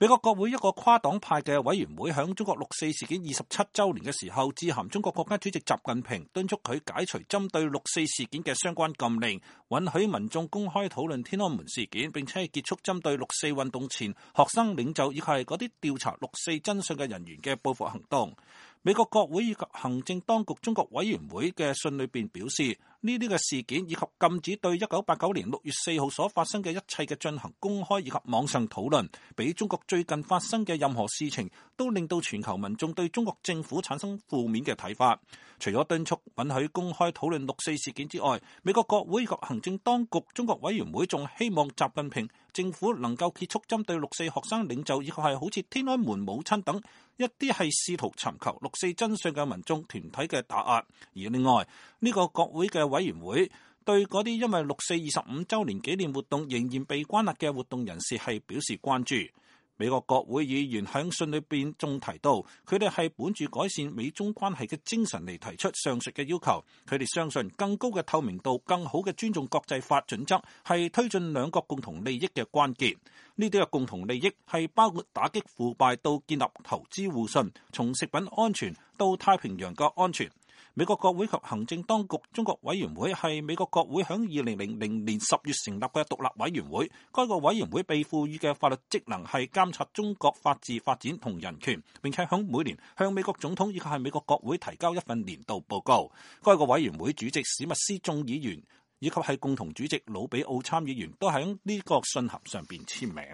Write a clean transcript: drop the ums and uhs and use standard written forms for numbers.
美國國會一個跨黨派嘅委員會響中國六四事件27週年嘅時候，致函中國國家主席習近平，敦促佢解除針對六四事件嘅相關禁令，允許民眾公開討論天安門事件，並且結束針對六四運動前學生領袖以及係嗰啲調查六四真相嘅人員嘅報復行動。美國國會以及行政當局中國委員會嘅信裏邊表示，呢啲嘅事件以及禁止對1989年6月4號所發生嘅一切嘅進行公開以及網上討論，比中國最近發生嘅任何事情都令到全球民眾對中國政府產生負面嘅睇法。除咗敦促允許公開討論六四事件之外，美國國會以及行政當局中國委員會仲希望習近平政府能夠結束針對六四學生領袖以及係好似天安門母親等一啲係試圖尋求六四真相嘅民眾團體嘅打壓。而另外呢個國會嘅委員會對嗰啲因為六四25週年紀念活動仍然被關押嘅活動人士係表示關注。美國國會議員喺信裏邊仲提到，佢哋係本住改善美中關係嘅精神嚟提出上述嘅要求。佢哋相信更高嘅透明度、更好嘅尊重國際法準則係推進兩國共同利益嘅關鍵。呢啲嘅共同利益係包括打擊腐敗到建立投資互信，從食品安全到太平洋嘅安全。美國國會及行政當局中國委員會係美國國會喺2000年10月成立嘅獨立委員會。該個委員會被賦予嘅法律職能係監察中國法治發展同人權，並且喺每年向美國總統以及係美國國會提交一份年度報告。該個委員會主席史密斯眾議員以及係共同主席魯比奧參議員都喺呢個信函上邊簽名。